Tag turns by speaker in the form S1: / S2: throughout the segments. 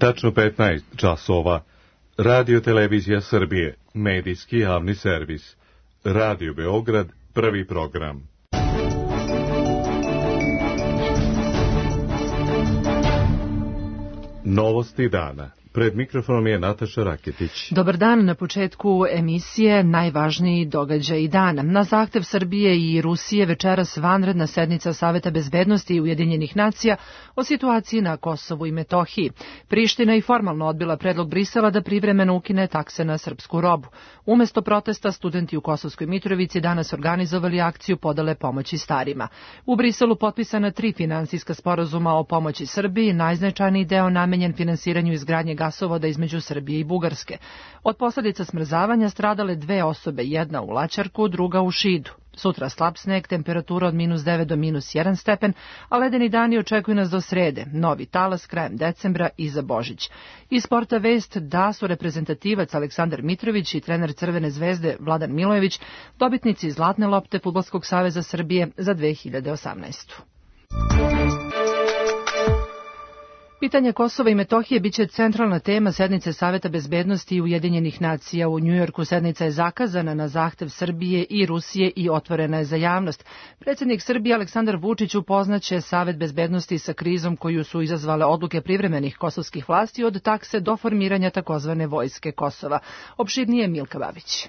S1: Tačno 15 časova. Radio Televizija Srbije, medijski javni servis. Radio Beograd, prvi program. Novosti dana. Pred mikrofonom je Nataša Raketić.
S2: Dobar dan. Na početku emisije najvažniji događaj dana. Na zahtev Srbije i Rusije večeras vanredna sednica Saveta bezbednosti Ujedinjenih nacija o situaciji na Kosovu i Metohiji. Priština je formalno odbila predlog Brisela da privremeno ukine takse na srpsku robu. Umesto protesta, studenti u Kosovskoj Mitrovici danas organizovali akciju podele pomoći starima. U Briselu potpisana 3 finansijska sporazuma o pomoći Srbiji, najznačajniji deo namenjen finansiranju izgradnje gasovoda između Srbije i Bugarske. Od posljedica smrzavanja stradale 2 osobe, jedna u Laćarku, druga u Šidu. Sutra slab sneg, temperatura od -9 do -1 stepen, a ledeni dani očekuju nas do srede, novi talas krajem decembra i za Božić. Iz sporta vest da su reprezentativac Aleksandar Mitrović i trener Crvene zvezde Vladan Milojević dobitnici Zlatne lopte Fudbalskog saveza Srbije za 2018. Pitanje Kosova i Metohije biće centralna tema sednice Saveta bezbednosti Ujedinjenih nacija u Njujorku. Sednica je zakazana na zahtev Srbije i Rusije i otvorena je za javnost. Predsjednik Srbije Aleksandar Vučić upoznaće Savet bezbednosti sa krizom koju su izazvale odluke privremenih kosovskih vlasti od takse do formiranja takozvane vojske Kosova. Opširnije Milka Babić.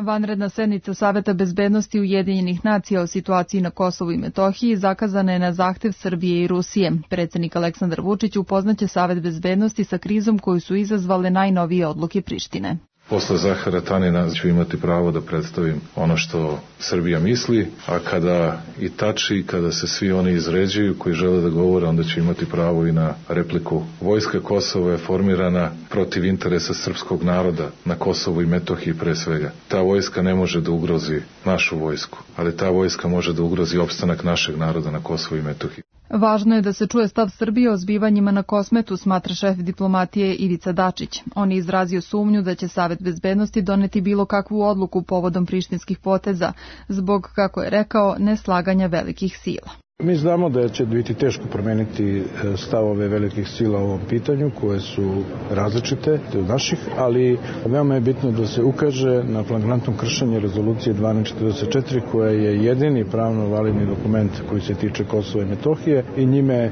S3: Vanredna sednica Saveta bezbednosti Ujedinjenih nacija o situaciji na Kosovu i Metohiji zakazana je na zahtev Srbije i Rusije. Predsjednik Aleksandar Vučić upoznaće Savet bezbednosti sa krizom koju su izazvale najnovije odluke Prištine.
S4: Posle Zahara Tanina ću imati pravo da predstavim ono što Srbija misli, a kada i tači, kada se svi oni izređuju koji žele da govore, onda ću imati pravo i na repliku. Vojska Kosova je formirana protiv interesa srpskog naroda na Kosovu i Metohiji pre svega. Ta vojska ne može da ugrozi našu vojsku, ali ta vojska može da ugrozi opstanak našeg naroda na Kosovu i Metohiji.
S3: Važno je da se čuje stav Srbije o zbivanjima na Kosmetu, smatra šef diplomatije Ivica Dačić. On je izrazio sumnju da će Savet bezbednosti doneti bilo kakvu odluku povodom prištinskih poteza, zbog, kako je rekao, neslaganja velikih sila.
S5: Mi znamo da će biti teško promeniti stavove velikih sila u ovom pitanju, koje su različite od naših, ali veoma je bitno da se ukaže na flagrantno kršenje rezolucije 1244, koja je jedini pravno validni dokument koji se tiče Kosova i Metohije i njime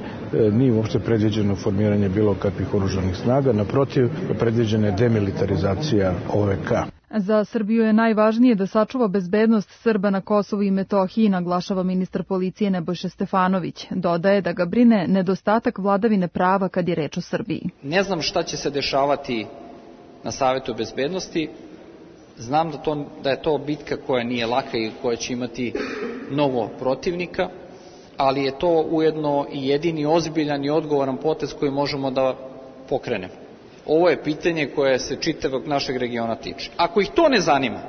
S5: nije uopšte predviđeno formiranje bilo kakvih oružanih snaga, naprotiv, predviđena je demilitarizacija OVK.
S3: Za Srbiju je najvažnije da sačuva bezbednost Srba na Kosovu i Metohiji, naglašava ministar policije Nebojša Stefanović. Dodaje da ga brine nedostatak vladavine prava kad je reč o Srbiji.
S6: Ne znam šta će se dešavati na Savetu bezbednosti. Znam da je to bitka koja nije laka i koja će imati mnogo protivnika, ali je to ujedno i jedini ozbiljan i odgovoran potez koji možemo da pokrenemo. Ovo je pitanje koje se čitavog našeg regiona tiče. Ako ih to ne zanima,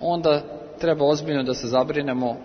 S6: onda treba ozbiljno da se zabrinemo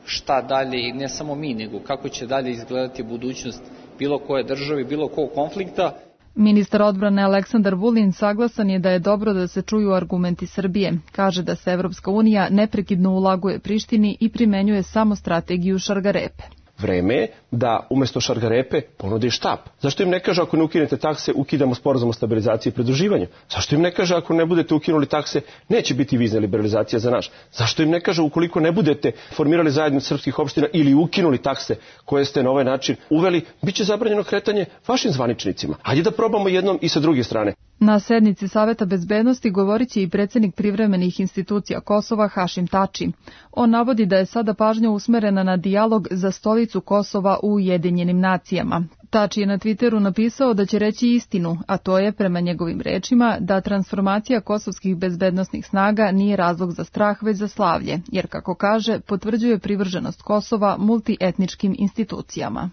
S6: šta dalje, i ne samo mi, nego kako će dalje izgledati budućnost bilo koje države, bilo kog konflikta.
S3: Ministar odbrane Aleksandar Vulin saglasan je da je dobro da se čuju argumenti Srbije. Kaže da se Evropska unija neprekidno ulaguje Prištini i primenjuje samo strategiju šargarepe.
S7: Vreme je da umesto šargarepe ponudi štap. Zašto im ne kaže ako ne ukinete takse, ukidamo sporazum o stabilizaciji i pridruživanju? Zašto im ne kaže ako ne budete ukinuli takse, neće biti vizna liberalizacija za naš? Zašto im ne kaže ukoliko ne budete formirali zajednicu srpskih opština ili ukinuli takse koje ste na ovaj način uveli, bit će zabranjeno kretanje vašim zvaničnicima? Hajde da probamo jednom i sa druge strane.
S3: Na sednici Saveta bezbednosti govorit će i predsjednik privremenih institucija Kosova Hašim Tači. On navodi da je sada pažnja usmerena na dijalog za stolicu Kosova u Ujedinjenim nacijama. Tači je na Twitteru napisao da će reći istinu, a to je, prema njegovim rečima, da transformacija kosovskih bezbednosnih snaga nije razlog za strah, već za slavlje, jer, kako kaže, potvrđuje privrženost Kosova multietničkim institucijama.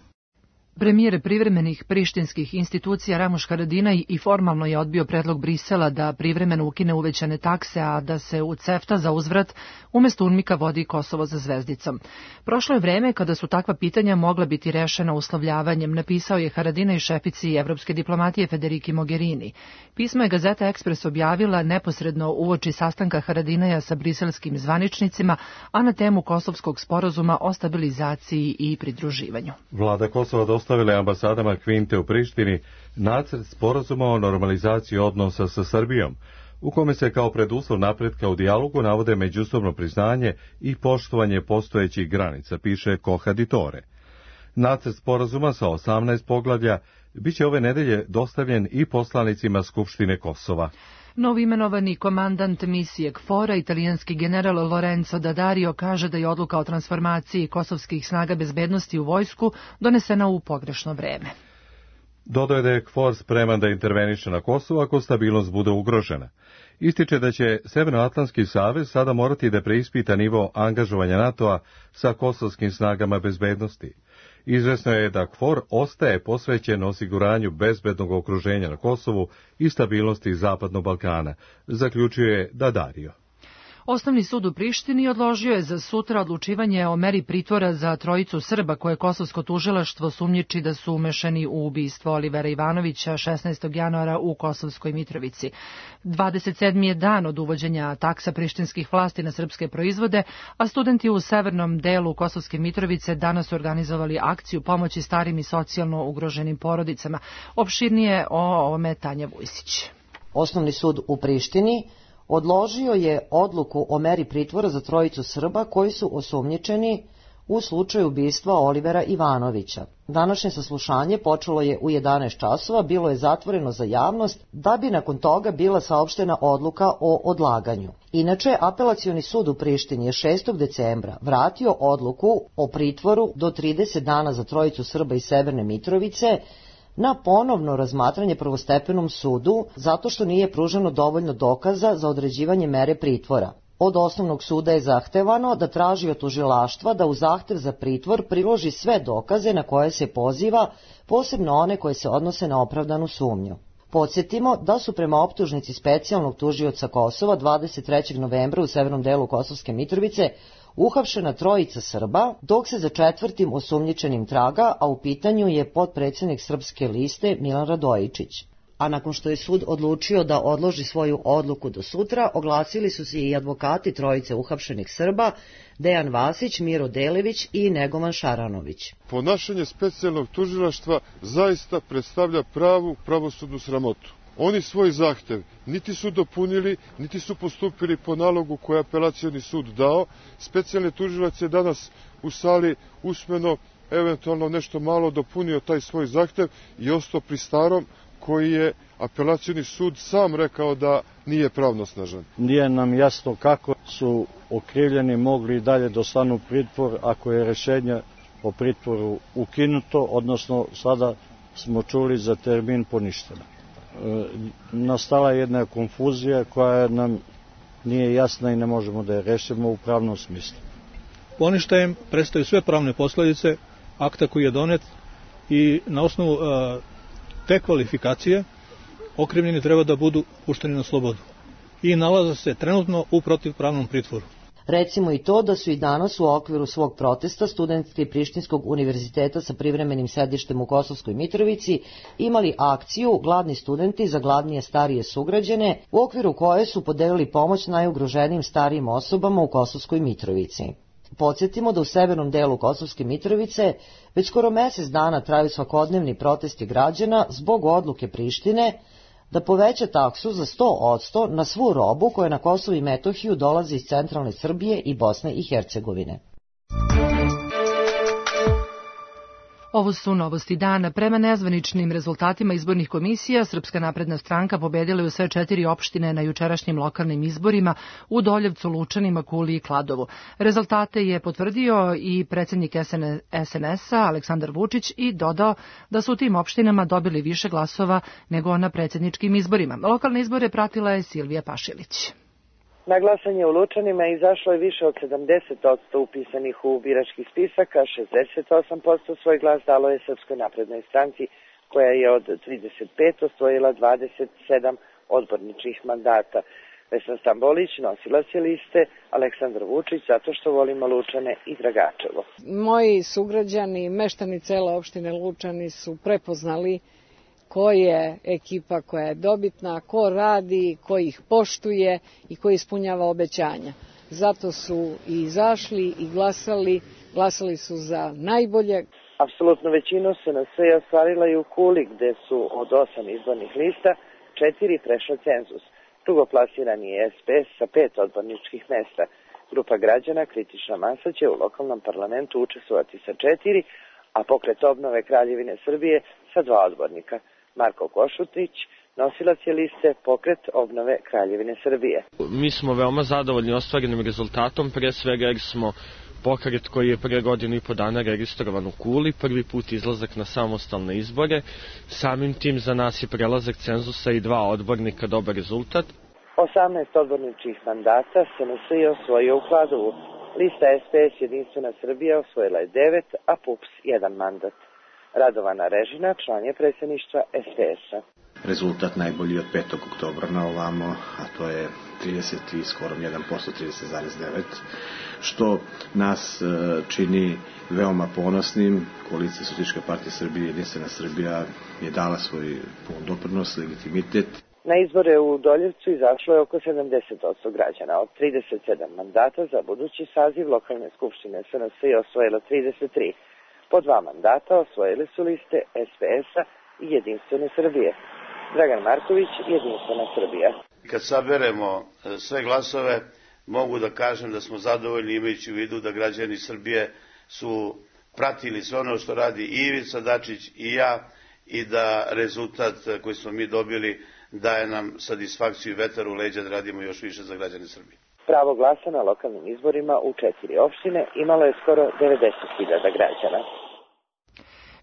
S2: Premijer privremenih prištinskih institucija Ramuš Haradinaj i formalno je odbio predlog Brisela da privremeno ukine uvećane takse, a da se u CEFTA za uzvrat umjesto UNMIK-a vodi Kosovo za zvezdicom. Prošlo je vreme kada su takva pitanja mogla biti rešena uslovljavanjem, napisao je Haradinaj šefici evropske diplomatije Federiki Mogherini. Pismo je Gazeta Ekspres objavila neposredno uoči sastanka Haradinaja sa briselskim zvaničnicima, a na temu kosovskog sporazuma o stabilizaciji i pridruživanju.
S1: Vlada Kosova dostavile ambasadama Kvinte u Prištini nacrt sporazuma o normalizaciji odnosa sa Srbijom, u kome se kao preduslov napretka u dijalogu navode međusobno priznanje i poštovanje postojećih granica, piše Kohaditore. Nacrt sporazuma sa 18 poglavlja biće ove nedelje dostavljen i poslanicima Skupštine Kosova.
S2: Novoimenovani komandant misije KFOR-a, italijanski general Lorenzo Daddario, kaže da je odluka o transformaciji kosovskih snaga bezbednosti u vojsku donesena u pogrešno vreme.
S1: Dodao je da je KFOR spreman da interveniše na Kosovo ako stabilnost bude ugrožena. Ističe da će Severnoatlantski savez sada morati da preispita nivo angažovanja NATO-a sa kosovskim snagama bezbednosti. Izvesno je da KFOR ostaje posvećen osiguranju bezbednog okruženja na Kosovu i stabilnosti Zapadnog Balkana, zaključuje Daddario.
S2: Osnovni sud u Prištini odložio je za sutra odlučivanje o meri pritvora za trojicu Srba koje kosovsko tužilaštvo sumnjiči da su umešani u ubistvo Olivera Ivanovića 16. januara u Kosovskoj Mitrovici. 27. je dan od uvođenja taksa prištinskih vlasti na srpske proizvode, a studenti u severnom delu Kosovske Mitrovice danas su organizovali akciju pomoći starim i socijalno ugroženim porodicama. Opširnije o ovome Tanja Vujsić.
S8: Osnovni sud u Prištini odložio je odluku o meri pritvora za trojicu Srba koji su osumnjičeni u slučaju ubistva Olivera Ivanovića. Današnje saslušanje počelo je u 11 časova, bilo je zatvoreno za javnost, da bi nakon toga bila saopštena odluka o odlaganju. Inače, apelacioni sud u Prištini je 6. decembra vratio odluku o pritvoru do 30 dana za trojicu Srba iz Severne Mitrovice na ponovno razmatranje prvostepenom sudu zato što nije pruženo dovoljno dokaza za određivanje mere pritvora. Od osnovnog suda je zahtevano da traži od tužilaštva da u zahtev za pritvor priloži sve dokaze na koje se poziva, posebno one koje se odnose na opravdanu sumnju. Podsjetimo da su prema optužnici specijalnog tužioca Kosova 23. novembra u severnom delu Kosovske Mitrovice uhapšena trojica Srba, dok se za četvrtim osumnjičenim traga, a u pitanju je potpredsednik Srpske liste Milan Radojičić. A nakon što je sud odlučio da odloži svoju odluku do sutra, oglasili su se i advokati trojice uhapšenih Srba, Dejan Vasić, Miro Delević i Negovan Šaranović.
S9: Ponašanje specijalnog tužilaštva zaista predstavlja pravu pravosudnu sramotu. Oni svoj zahtev niti su dopunili, niti su postupili po nalogu koje je apelacioni sud dao. Specijalni tužilac je danas u sali usmeno, eventualno nešto malo dopunio taj svoj zahtev i ostao pri starom, koji je apelacioni sud sam rekao da nije pravnosnažan.
S10: Nije nam jasno kako su okrivljeni mogli dalje da ostanu u pritvor ako je rešenje o pritvoru ukinuto, odnosno sada smo čuli za termin poništeno. Nastala je jedna konfuzija koja nam nije jasna i ne možemo da je rešimo u pravnom smislu.
S11: Poništajem prestaju sve pravne posledice akta koji je donet i na osnovu te kvalifikacije okrivljeni treba da budu pušteni na slobodu i nalaze se trenutno u protivpravnom pritvoru.
S8: Recimo i to da su i danas u okviru svog protesta studenti Prištinskog univerziteta sa privremenim sedištem u Kosovskoj Mitrovici imali akciju Gladni studenti za gladnije starije sugrađane, u okviru koje su podelili pomoć najugroženijim starijim osobama u Kosovskoj Mitrovici. Podsjetimo da u severnom delu Kosovske Mitrovice već skoro mesec dana traju svakodnevni protesti građana zbog odluke Prištine da poveća taksu za 100% na svu robu koja na Kosovo i Metohiju dolazi iz centralne Srbije i Bosne i Hercegovine.
S2: Ovo su novosti dana. Prema nezvaničnim rezultatima izbornih komisija, Srpska napredna stranka pobedila je u sve 4 opštine na jučerašnjim lokalnim izborima u Doljevcu, Lučanima, Kuli i Kladovu. Rezultate je potvrdio i predsjednik SNS-a Aleksandar Vučić i dodao da su u tim opštinama dobili više glasova nego na predsjedničkim izborima. Lokalne izbore pratila je Silvija Pašilić.
S12: Na glasanje u Lučanima izašlo je više od 70% upisanih u birački spisak, a 68% svoj glas dalo je Srpskoj naprednoj stranci, koja je od 35 osvojila 27 odborničkih mandata. Vesna Stambolić nosilac je liste Aleksandar Vučić zato što volimo Lučane i Dragačevo.
S13: Moji sugrađani, meštani cele opštine Lučani su prepoznali ko je ekipa koja je dobitna, ko radi, ko ih poštuje i ko ispunjava obećanja. Zato su i izašli i glasali su za najbolje.
S12: Apsolutnu većinu SNS je ostvarila i u Kuli, gde su od 8 izbornih lista 4 prešla cenzus. Drugoplasirani je SPS sa 5 odborničkih mesta. Grupa građana Kritična masa će u lokalnom parlamentu učestvovati sa 4, a Pokret obnove Kraljevine Srbije sa 2 odbornika. Marko Košutić, nosilac je liste Pokret obnove Kraljevine Srbije.
S14: Mi smo veoma zadovoljni ostvarenim rezultatom, pre svega jer smo pokret koji je pre godinu i po dana registrovan u Kuli, prvi put izlazak na samostalne izbore. Samim tim za nas je prelazak cenzusa i 2 odbornika dobar rezultat.
S12: 18 odborničkih mandata SNS je osvojio u Kladovu. Lista SPS Jedinstvena Srbija osvojila je 9, a PUPS 1 mandat. Radovana Režina, član je predsjedništva SPS-a.
S15: Rezultat najbolji od 5. oktobra na ovamo, a to je 30 i skoro 1%, 30,9%, što nas čini veoma ponosnim. Koalicija Socijalističke partije Srbije, Jedinstvena Srbija je dala svoj pun doprinos, legitimitet.
S12: Na izbore u Doljevcu izašlo je oko 70% građana. Od 37 mandata za budući saziv lokalne skupštine SNS je osvojilo 33. Po 2 mandata osvojili su liste SPS-a i Jedinstvene Srbije. Dragan Marković, Jedinstvena Srbija.
S16: Kad saberemo sve glasove, mogu da kažem da smo zadovoljni imajući u vidu da građani Srbije su pratili sve ono što radi i Ivica Dačić i ja i da rezultat koji smo mi dobili daje nam satisfakciju i vetar u leđa da radimo još više za građane Srbije.
S12: Pravo glasa na lokalnim izborima u 4 opštine imalo je skoro 90.000 građana.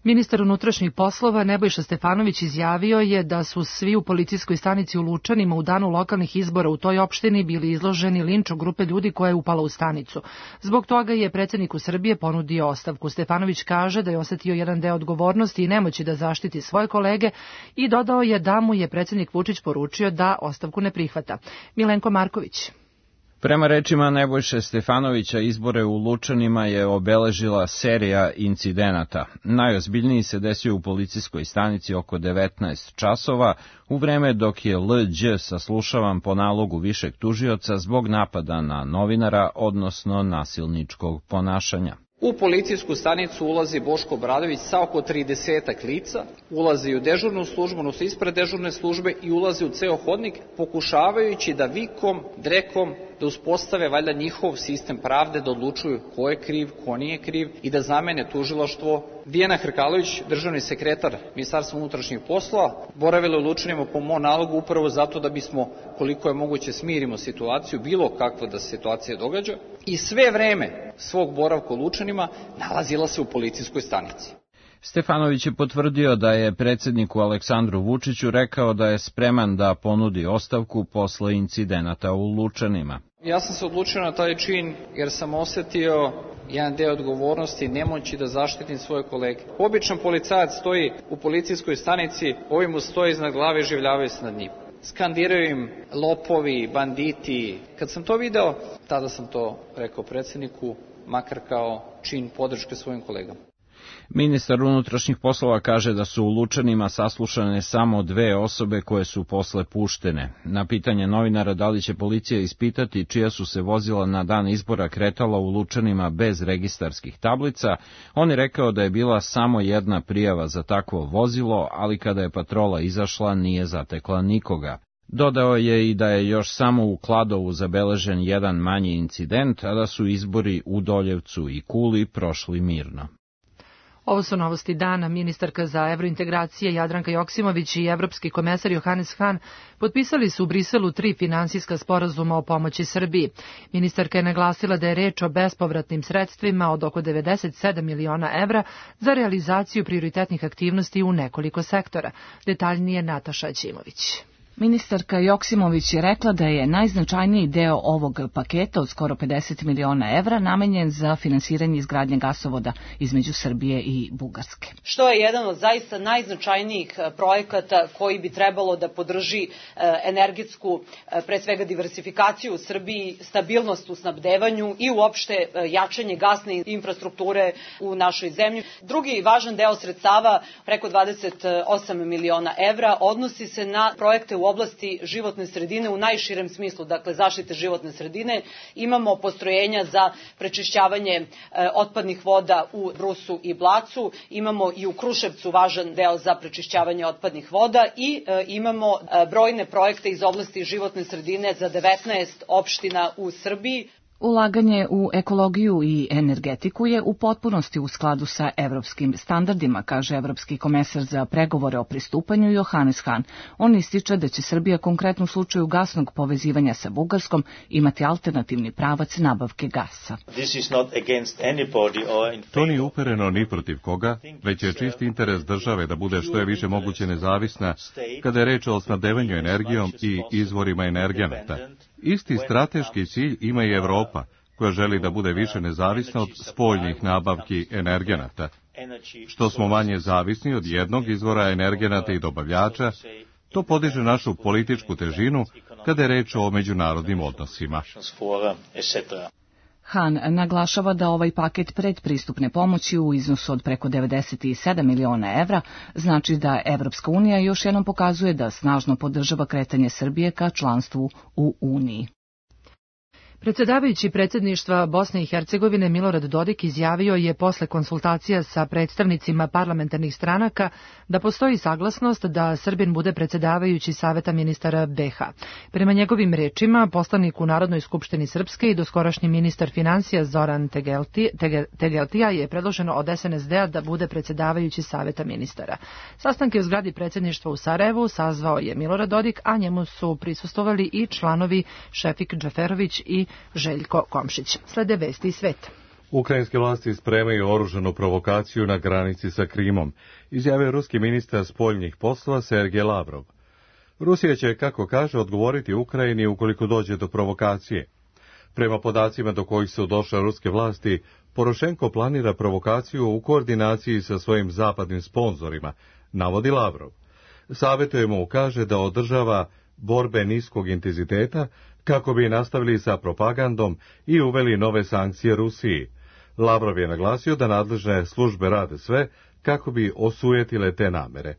S2: Ministar unutrašnjih poslova Nebojša Stefanović izjavio je da su svi u policijskoj stanici u Lučanima u danu lokalnih izbora u toj opštini bili izloženi linču grupe ljudi koja je upala u stanicu. Zbog toga je predsjedniku Srbije ponudio ostavku. Stefanović kaže da je osetio jedan deo odgovornosti i nemoći da zaštiti svoje kolege i dodao je da mu je predsjednik Vučić poručio da ostavku ne prihvata. Milenko Marković.
S17: Prema rečima Nebojše Stefanovića, izbore u Lučanima je obeležila serija incidenata. Najozbiljniji se desio u policijskoj stanici oko 19 časova, u vreme dok je Lđ saslušavan po nalogu višeg tužioca zbog napada na novinara, odnosno nasilničkog ponašanja.
S6: U policijsku stanicu ulazi Boško Obradović sa oko 30 lica, ulazi u dežurnu službu, odnosno ispred dežurne službe i ulazi u ceo hodnik, pokušavajući da vikom, drekom, da uspostave valjda njihov sistem pravde, da odlučuju ko je kriv, ko nije kriv i da zamene tužilaštvo. Dijana Hrkalović, državni sekretar Ministarstva unutrašnjih poslova, boravila u Lučanima po mom nalogu upravo zato da bismo, koliko je moguće, smirimo situaciju, bilo kakva da se situacija događa, i sve vreme svog boravka u Lučanima nalazila se u policijskoj stanici.
S17: Stefanović je potvrdio da je predsjedniku Aleksandru Vučiću rekao da je spreman da ponudi ostavku posle incidenata u Lučanima.
S6: Ja sam se odlučio na taj čin jer sam osetio jedan deo odgovornosti, nemoći da zaštitim svoje kolege. Običan policajac stoji u policijskoj stanici, ovi mu stoji iznad glave i življavaju se nad njim. Skandiraju im lopovi, banditi. Kad sam to video, tada sam to rekao predsjedniku, makar kao čin podrške svojim kolegama.
S17: Ministar unutrašnjih poslova kaže da su u Lučanima saslušane samo 2 osobe koje su posle puštene. Na pitanje novinara da li će policija ispitati čija su se vozila na dan izbora kretala u Lučanima bez registarskih tablica, on je rekao da je bila samo jedna prijava za takvo vozilo, ali kada je patrola izašla nije zatekla nikoga. Dodao je i da je još samo u Kladovu zabeležen jedan manji incident, a da su izbori u Doljevcu i Kuli prošli mirno.
S2: Ovo su novosti dana. Ministarka za evrointegracije Jadranka Joksimović i evropski komesar Johannes Hahn potpisali su u Briselu 3 finansijska sporazuma o pomoći Srbiji. Ministarka je naglasila da je reč o bespovratnim sredstvima od oko 97 miliona evra za realizaciju prioritetnih aktivnosti u nekoliko sektora. Detaljnije Nataša Ćimović.
S18: Ministarka Joksimović je rekla da je najznačajniji deo ovog paketa od skoro 50 miliona evra namenjen za finansiranje izgradnje gasovoda između Srbije i Bugarske.
S19: Što je jedan od zaista najznačajnijih projekata koji bi trebalo da podrži energetsku, pre svega diversifikaciju u Srbiji, stabilnost u snabdevanju i uopšte jačanje gasne infrastrukture u našoj zemlji. Drugi važan deo sredstava, preko 28 miliona evra, odnosi se na projekte u u oblasti životne sredine u najširem smislu, dakle zaštite životne sredine. Imamo postrojenja za prečišćavanje otpadnih voda u Brusu i Blacu, imamo i u Kruševcu važan deo za prečišćavanje otpadnih voda i imamo brojne projekte iz oblasti životne sredine za 19 opština u Srbiji.
S18: Ulaganje u ekologiju i energetiku je u potpunosti u skladu sa evropskim standardima, kaže evropski komesar za pregovore o pristupanju Johannes Hahn. On ističe da će Srbija konkretno u slučaju gasnog povezivanja sa Bugarskom imati alternativni pravac nabavke gasa.
S1: To nije upereno ni protiv koga, već je čisti interes države da bude što je više moguće nezavisna kada je reč o snabdevanju energijom i izvorima energenata. Isti strateški cilj ima i Evropa, koja želi da bude više nezavisna od spoljnih nabavki energenata. Što smo manje zavisni od jednog izvora energenata i dobavljača, to podiže našu političku težinu kada je reč o međunarodnim odnosima.
S18: Hahn naglašava da ovaj paket predpristupne pomoći u iznosu od preko 97 miliona evra znači da Evropska unija još jednom pokazuje da snažno podržava kretanje Srbije ka članstvu u Uniji.
S2: Predsjedavajući predsjedništva Bosne i Hercegovine Milorad Dodik izjavio je posle konsultacija sa predstavnicima parlamentarnih stranaka da postoji saglasnost da Srbin bude predsjedavajući Saveta ministara BiH. Prema njegovim rečima, poslanik u Narodnoj skupštini Srpske i doskorašnji ministar financija Zoran Tegeltija je predloženo od SNSD-a da bude predsjedavajući Saveta ministara. Sastanke u zgradi predsjedništva u Sarajevu sazvao je Milorad Dodik, a njemu su prisustvovali i članovi Šefik Džaferović i Željko Komšić. Slede vesti iz sveta.
S1: Ukrajinske vlasti spremaju oružanu provokaciju na granici sa Krimom, izjavio ruski ministar spoljnih poslova Sergej Lavrov. Rusija će, kako kaže, odgovoriti Ukrajini ukoliko dođe do provokacije. Prema podacima do kojih su došle ruske vlasti, Porošenko planira provokaciju u koordinaciji sa svojim zapadnim sponzorima, navodi Lavrov. Savjetuje mu, kaže, da održava borbe niskog intenziteta kako bi nastavili sa propagandom i uveli nove sankcije Rusiji. Lavrov je naglasio da nadležne službe rade sve kako bi osujetile te namere.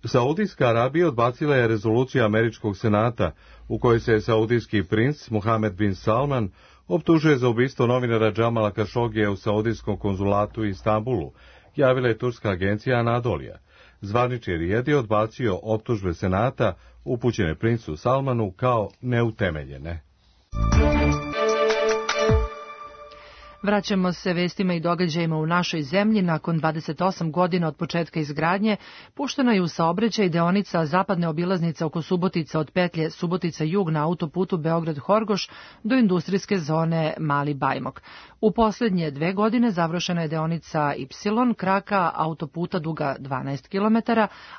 S1: Saudijska Arabija odbacila je rezoluciju američkog senata u kojoj se saudijski princ Mohamed bin Salman optužuje za ubistvo novinara Džamala Kašogija u saudijskom konzulatu u Istanbulu, javila je turska agencija Anadolija. Zvanični Rijed je odbacio optužbe senata upućene princu Salmanu kao neutemeljene.
S2: Vraćamo se vestima i događajima u našoj zemlji. Nakon 28 godina od početka izgradnje, puštena je u saobraćaj deonica zapadne obilaznice oko Subotice od petlje Subotica-Jug na autoputu Beograd-Horgoš do industrijske zone Mali Bajmok. U posljednje 2 godine završena je deonica Y, kraka autoputa duga 12 km,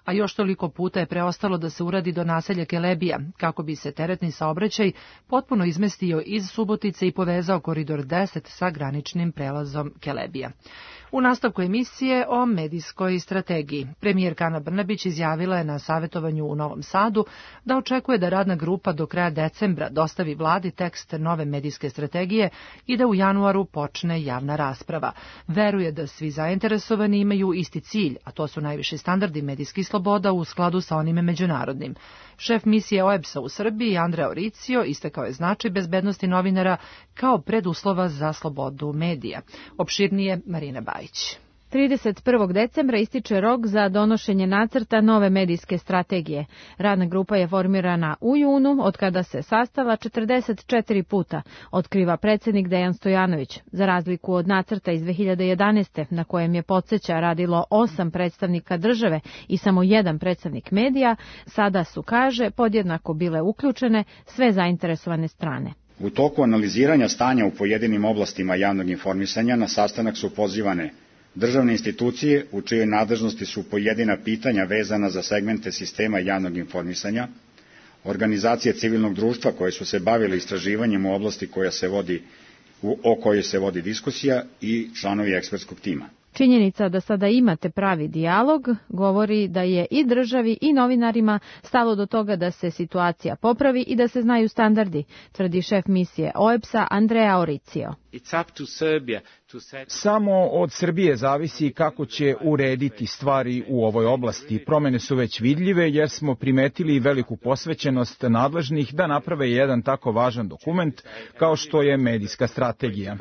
S2: a još toliko puta je preostalo da se uradi do naselja Kelebija, kako bi se teretni saobraćaj potpuno izmestio iz Subotice i povezao koridor 10 sa graničnim prelazom Kelebija. U nastavku emisije o medijskoj strategiji. Premijerka Ana Brnabić izjavila je na savjetovanju u Novom Sadu da očekuje da radna grupa do kraja decembra dostavi vladi tekst nove medijske strategije i da u januaru počne javna rasprava. Veruje da svi zainteresovani imaju isti cilj, a to su najviši standardi medijskih sloboda u skladu sa onime međunarodnim. Šef misije OEBS-a u Srbiji, Andrea Oricio, istakao je značaj bezbednosti novinara kao preduslova za slobodu medija. Opširnije Marina Bajić.
S20: 31. decembra ističe rok za donošenje nacrta nove medijske strategije. Radna grupa je formirana u junu, od kada se sastala 44 puta, otkriva predsjednik Dejan Stojanović. Za razliku od nacrta iz 2011. na kojem je, podsjeća, radilo 8 predstavnika države i samo 1 predstavnik medija, sada su, kaže, podjednako bile uključene sve zainteresovane strane.
S21: U toku analiziranja stanja u pojedinim oblastima javnog informisanja na sastanak su pozivane državne institucije u čijoj nadležnosti su pojedina pitanja vezana za segmente sistema javnog informisanja, organizacije civilnog društva koje su se bavile istraživanjem u oblasti o kojoj se vodi diskusija i članovi ekspertskog tima.
S20: Činjenica da sada imate pravi dijalog govori da je i državi i novinarima stalo do toga da se situacija popravi i da se znaju standardi, tvrdi šef misije OEBS-a Andrea Oricio.
S4: Samo od Srbije zavisi kako će urediti stvari u ovoj oblasti. Promene su već vidljive jer smo primetili veliku posvećenost nadležnih da naprave jedan tako važan dokument kao što je medijska strategija.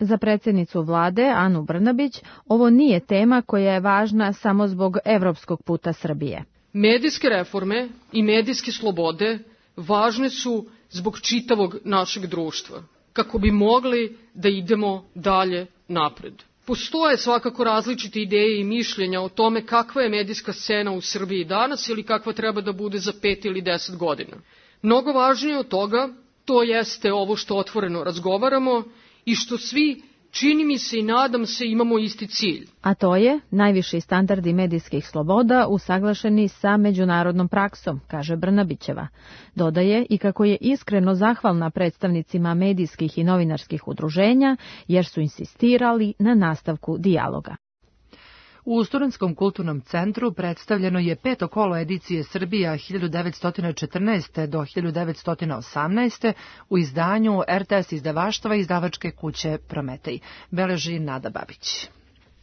S20: Za predsjednicu vlade Anu Brnabić ovo nije tema koja je važna samo zbog evropskog puta Srbije.
S22: Medijske reforme i medijske slobode važne su zbog čitavog našeg društva, kako bi mogli da idemo dalje napred. Postoje svakako različite ideje i mišljenja o tome kakva je medijska scena u Srbiji danas ili kakva treba da bude za 5 ili 10 godina. Mnogo važnije od toga, to jeste ovo što otvoreno razgovaramo i što svi, čini mi se i nadam se, imamo isti cilj.
S20: A to je najviši standardi medijskih sloboda usaglašeni sa međunarodnom praksom, kaže Brnabićeva. Dodaje i kako je iskreno zahvalna predstavnicima medijskih i novinarskih udruženja jer su insistirali na nastavku dijaloga.
S2: U Studentskom kulturnom centru predstavljeno je 5. kolo edicije Srbija 1914. do 1918. u izdanju RTS izdavaštva izdavačke kuće Prometej. Beleži Nada Babić.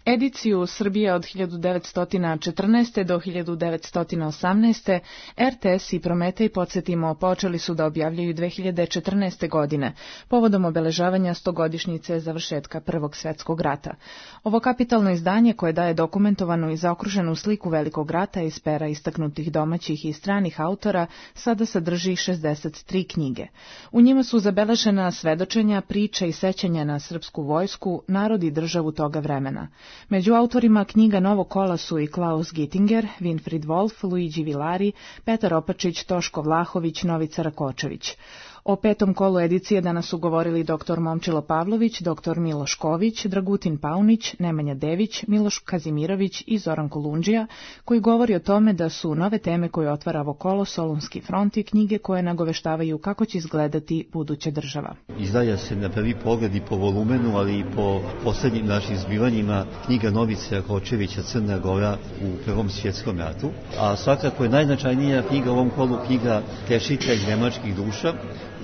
S18: Ediciju Srbije od 1914. do 1918. RTS i Prometej, podsjetimo, počeli su da objavljaju 2014. godine, povodom obeležavanja 100-godišnjice završetka Prvog svjetskog rata. Ovo kapitalno izdanje, koje daje dokumentovanu i zaokruženu sliku Velikog rata iz pera istaknutih domaćih i stranih autora, sada sadrži 63 knjige. U njima su zabeležena svedočenja, priče i sećanja na srpsku vojsku, narod i državu toga vremena. Među autorima knjiga Novog kola su i Klaus Gittinger, Winfried Wolf, Luigi Villari, Petar Opačić, Toško Vlahović, Novica Rakočević. O 5. kolu edicije danas su govorili dr. Momčilo Pavlović, dr. Miloš Ković, Dragutin Paunić, Nemanja Dević, Miloš Kazimirović i Zoran Kolundžija, koji govori o tome da su nove teme koje otvara ovo kolo Solunski front i knjige koje nagoveštavaju kako će izgledati buduća država.
S23: Izdaja se na prvi pogled i po volumenu, ali i po poslednjim našim zbivanjima knjiga Novice Rakočevića Crna Gora u Prvom svjetskom ratu, a svakako je najznačajnija knjiga u ovom kolu knjiga Tešitelj nemačkih duša,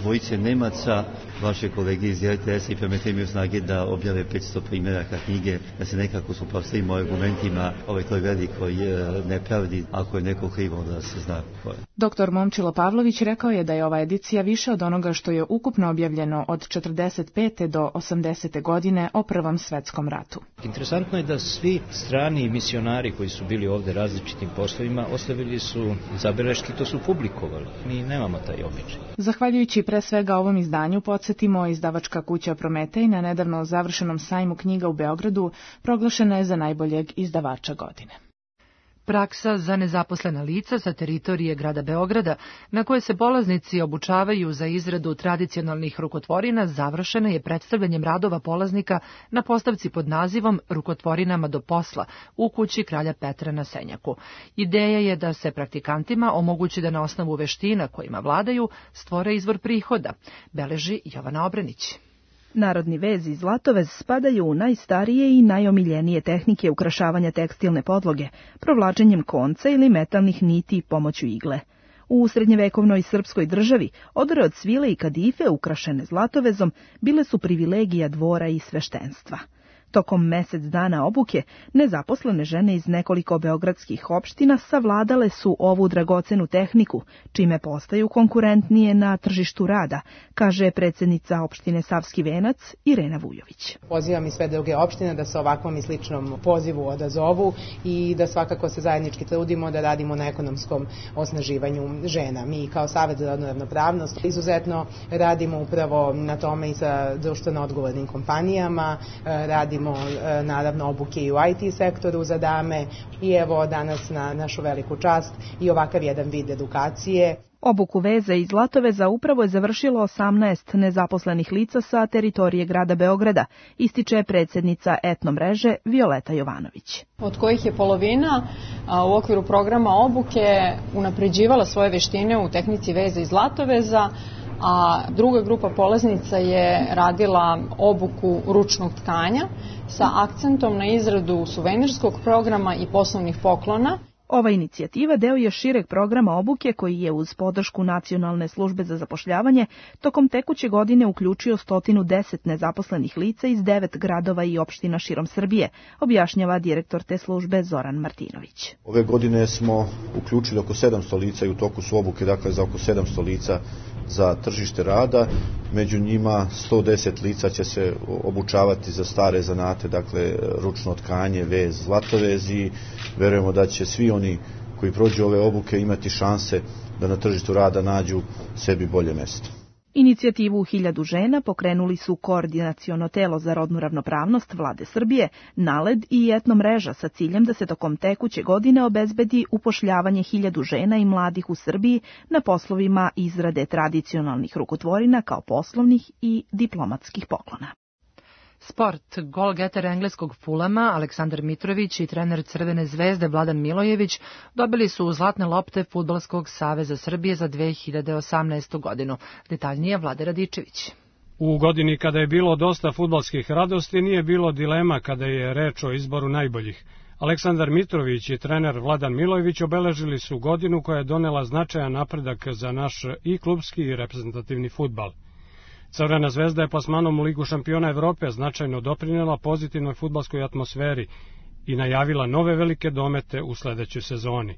S23: dvojice Nemaca, vaše kolege iz RTS-a i Prometej imaju snage da objave 500 primjeraka knjige, da se nekako suprotstavimo argumentima toj velikoj nepravdi, ako je neko krivo da se zna ko je.
S18: Dr. Momčilo Pavlović rekao je da je ova edicija više od onoga što je ukupno objavljeno od 45. do 80. godine o Prvom svetskom ratu.
S24: Interesantno je da svi strani misionari koji su bili ovde različitim poslovima ostavili su zabeleške, to su publikovali. Mi nemamo taj običaj.
S18: Zahvaljujući pre svega ovom izdanju, podsjetimo, izdavačka kuća Prometej na nedavno završenom sajmu knjiga u Beogradu proglašena je za najboljeg izdavača godine.
S2: Praksa za nezaposlena lica sa teritorije grada Beograda, na koje se polaznici obučavaju za izradu tradicionalnih rukotvorina, završena je predstavljanjem radova polaznika na postavci pod nazivom Rukotvorinama do posla u kući Kralja Petra na Senjaku. Ideja je da se praktikantima omogući da na osnovu veština kojima vladaju stvore izvor prihoda, beleži Jovana Obrenić.
S25: Narodni vez i zlatovez spadaju u najstarije i najomiljenije tehnike ukrašavanja tekstilne podloge, provlačenjem konca ili metalnih niti pomoću igle. U srednjevekovnoj srpskoj državi odore od svile i kadife ukrašene zlatovezom bile su privilegija dvora i sveštenstva. Tokom mesec dana obuke, nezaposlene žene iz nekoliko beogradskih opština savladale su ovu dragocenu tehniku, čime postaju konkurentnije na tržištu rada, kaže predsjednica opštine Savski Venac Irena Vujović.
S26: Pozivam i sve druge opštine da se ovakvom i sličnom pozivu odazovu i da svakako se zajednički trudimo da radimo na ekonomskom osnaživanju žena. Mi kao Savet za rodnu ravnopravnost izuzetno radimo upravo na tome i sa društveno odgovornim kompanijama, radimo naravno obuke i u IT sektoru za dame i evo danas na našu veliku čast i ovakav jedan vid edukacije.
S25: Obuku veza i zlatoveza upravo je završilo 18 nezaposlenih lica sa teritorije grada Beograda, ističe predsjednica etno mreže Violeta Jovanović.
S27: Od kojih je polovina u okviru programa obuke unapređivala svoje veštine u tehnici veza i zlatoveza, a druga grupa polaznica je radila obuku ručnog tkanja sa akcentom na izradu suvenirskog programa i poslovnih poklona.
S25: Ova inicijativa deo je šireg programa obuke koji je uz podršku Nacionalne službe za zapošljavanje tokom tekuće godine uključio 110 nezaposlenih lica iz 9 gradova i opština širom Srbije, objašnjava direktor te službe Zoran Martinović.
S3: Ove godine smo uključili oko 700 lica i u toku su obuke, dakle za oko 700 lica za tržište rada, među njima 110 lica će se obučavati za stare zanate, dakle ručno tkanje, vez, zlatovez i verujemo da će svi oni koji prođu ove obuke imati šanse da na tržištu rada nađu sebi bolje mesto.
S25: Inicijativu 1000 žena pokrenuli su Koordinaciono telo za rodnu ravnopravnost Vlade Srbije, NALED i Etno mreža sa ciljem da se tokom tekuće godine obezbedi upošljavanje 1000 žena i mladih u Srbiji na poslovima izrade tradicionalnih rukotvorina kao poslovnih i diplomatskih poklona.
S2: Sport. Golgeter engleskog Fulama Aleksandar Mitrović i trener Crvene zvezde Vladan Milojević dobili su zlatne lopte Fudbalskog saveza Srbije za 2018. godinu. Detaljnije Vlade Radičević.
S5: U godini kada je bilo dosta fudbalskih radosti nije bilo dilema kada je reč o izboru najboljih. Aleksandar Mitrović i trener Vladan Milojević obeležili su godinu koja je donela značajan napredak za naš i klubski i reprezentativni fudbal. Crvena zvezda je plasmanom u Ligu šampiona Evrope značajno doprinela pozitivnoj fudbalskoj atmosferi i najavila nove velike domete u sledećoj sezoni.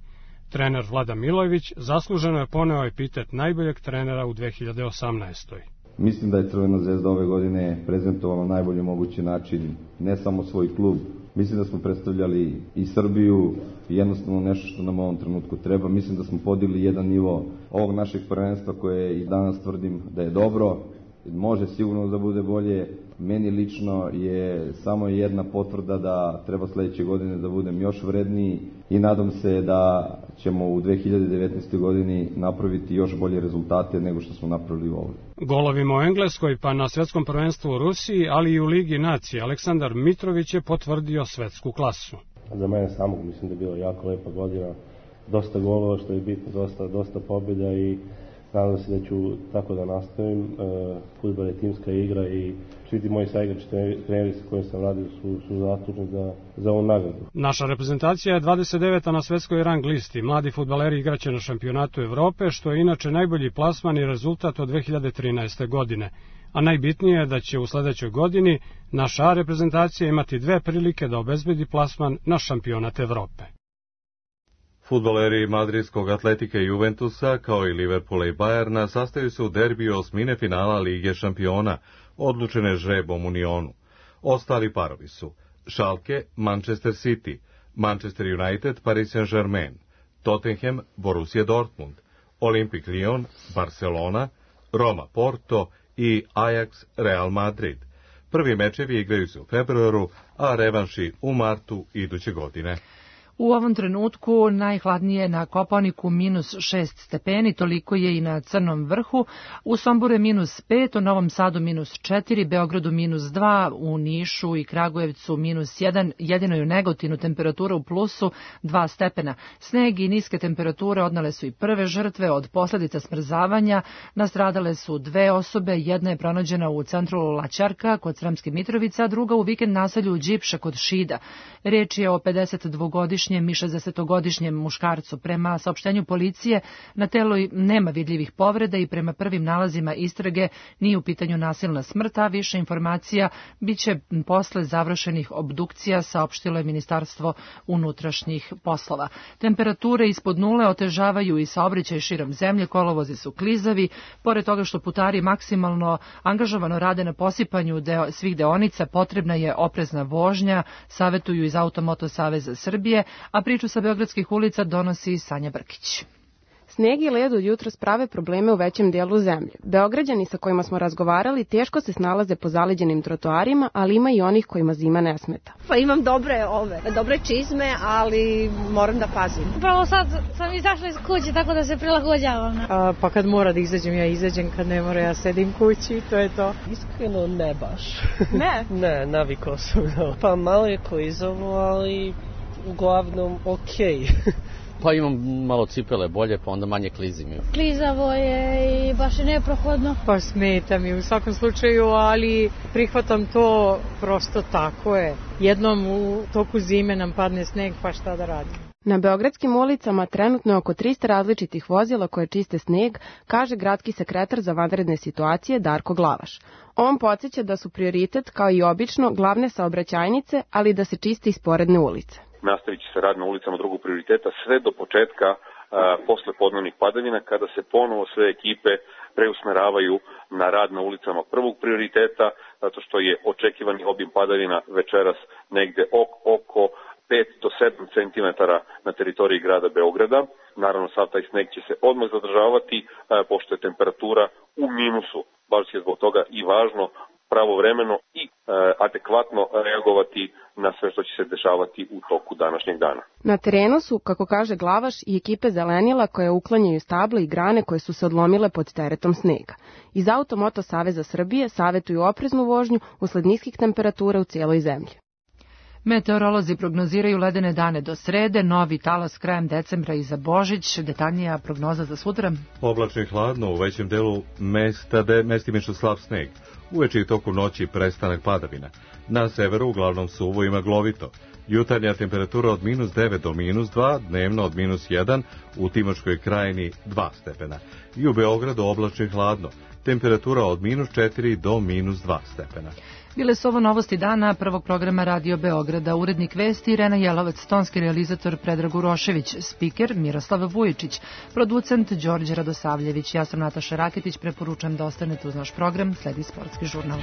S5: Trener Vladan Milojević zasluženo je poneo epitet najboljeg trenera u 2018.
S7: Mislim da je Crvena zvezda ove godine prezentovala na najbolji mogući način ne samo svoj klub. Mislim da smo predstavljali i Srbiju i jednostavno nešto što nam u ovom trenutku treba. Mislim da smo podigli jedan nivo ovog našeg prvenstva koje i danas tvrdim da je dobro. Može sigurno da bude bolje. Meni lično je samo jedna potvrda da treba sledeće godine da budem još vredniji i nadam se da ćemo u 2019. godini napraviti još bolje rezultate nego što smo napravili u ovoj.
S5: Golovima u Engleskoj pa na svetskom prvenstvu u Rusiji, ali i u Ligi nacije, Aleksandar Mitrović je potvrdio svetsku klasu.
S8: Za mene samog mislim da je bilo jako lepa godina, dosta golova što je bitno, dosta pobjeda i nadam se da ću tako da nastavim. Fudbal je timska igra i svi ti moji saigrači, treneri sa kojim sam radio su zaslužni za ovu nagradu.
S5: Naša reprezentacija je 29. na svetskoj rang listi. Mladi fudbaleri igraće na šampionatu Evrope, što je inače najbolji plasman i rezultat od 2013. godine. A najbitnije je da će u sledećoj godini naša reprezentacija imati 2 prilike da obezbedi plasman na šampionat Evrope.
S1: Fudbaleri madridskog Atletike i Juventusa, kao i Liverpoola i Bajerna, sastaju se u derbiju osmine finala Lige šampiona, odlučene žrebom u Nionu. Ostali parovi su Schalke, Manchester City, Manchester United, Paris Saint-Germain, Tottenham, Borussia Dortmund, Olympique Lyon, Barcelona, Roma Porto i Ajax Real Madrid. Prvi mečevi igraju se u februaru, a revanši u martu iduće godine.
S2: U ovom trenutku najhladnije na Kopaoniku -6 stepeni, toliko je i na Crnom vrhu, u Somboru je -5, u Novom Sadu -4, Beogradu -2, u Nišu i Kragujevcu -1, jedino je u Negotinu temperatura u plusu 2 stepena. Sneg i niske temperature odnale su i prve žrtve od posledica smrzavanja, nastradale su 2 osobe, jedna je pronađena u centru Laćarka kod Sremske Mitrovice, a druga u vikend naselju Đipša kod Šida. Reč je o 52-godišnjem i 60-godišnjem muškarcu. Prema saopštenju policije, na telu nema vidljivih povreda i prema prvim nalazima istrage nije u pitanju nasilna smrt, a više informacija biće posle završenih obdukcija, saopštilo je Ministarstvo unutrašnjih poslova. Temperature ispod nule otežavaju i saobraćaj širom zemlje, kolovozi su klizavi, pored toga što putari maksimalno angažovano rade na posipanju svih deonica, potrebna je oprezna vožnja, savetuju iz Automoto saveza Srbije, a priču sa beogradskih ulica donosi Sanja Brkić.
S9: Sneg i led od jutros prave probleme u većem dijelu zemlje. Beograđani sa kojima smo razgovarali teško se snalaze po zaleđenim trotoarima, ali ima i onih kojima zima ne smeta.
S10: Pa imam dobre čizme, ali moram da pazim.
S11: Upravo sad sam izašla iz kuće, tako da se prilagođavam.
S28: Pa kad mora da izađem, ja izađem, kad ne mora, ja sedim kući, to je to.
S29: Iskreno ne baš.
S9: Ne?
S29: Ne, navikao sam. Pa malo je klizovo, ali uglavnom okej.
S30: Pa imam malo cipele bolje, pa onda manje klizim.
S11: Klizavo je i baš je neprohodno.
S28: Pa smeta mi u svakom slučaju, ali prihvatam to, prosto tako je. Jednom u toku zime nam padne sneg, pa šta da radim.
S9: Na beogradskim ulicama trenutno je oko 300 različitih vozila koje čiste sneg, kaže gradski sekretar za vanredne situacije Darko Glavaš. On podsjeća da su prioritet, kao i obično, glavne saobraćajnice, ali da se čiste i sporedne ulice.
S4: Nastavit će se rad na ulicama drugog prioriteta sve do početka posle podnevnih padavina, kada se ponovo sve ekipe preusmeravaju na rad na ulicama prvog prioriteta, zato što je očekivani obim padavina večeras negde oko 5 do 7 cm na teritoriji grada Beograda. Naravno, sav taj sneg će se odmah zadržavati, pošto je temperatura u minusu. Baš je zbog toga i važno pravovremeno i adekvatno reagovati na sve što će se dešavati u toku današnjeg dana.
S9: Na terenu su, kako kaže Glavaš, i ekipe zelenila koje uklanjaju stable i grane koje su se odlomile pod teretom snega. Iz Automoto Saveza Srbije savetuju opreznu vožnju usled niskih temperatura u cijeloj zemlji.
S2: Meteorolozi prognoziraju ledene dane do srede, novi talas krajem decembra i za Božić. Detaljnija prognoza za sutra.
S1: Oblačno i hladno, u većem delu mestimično slab sneg. Uveče i toku noći prestanak padavina. Na severu uglavnom suvo i maglovito. Jutarnja temperatura od -9 do -2, dnevno od -1, u Timočkoj krajini 2 stepena. I u Beogradu oblačno i hladno. Temperatura od -4 do -2 stepena.
S2: Bile su ovo novosti dana prvog programa Radio Beograda. Urednik vesti Irena Jelovac, tonski realizator Predrag Urošević, spiker Miroslav Vujičić, producent Đorđe Radosavljević. Ja sam Nataša Raketić, preporučujem da ostanete uz naš program, sledi sportski žurnal.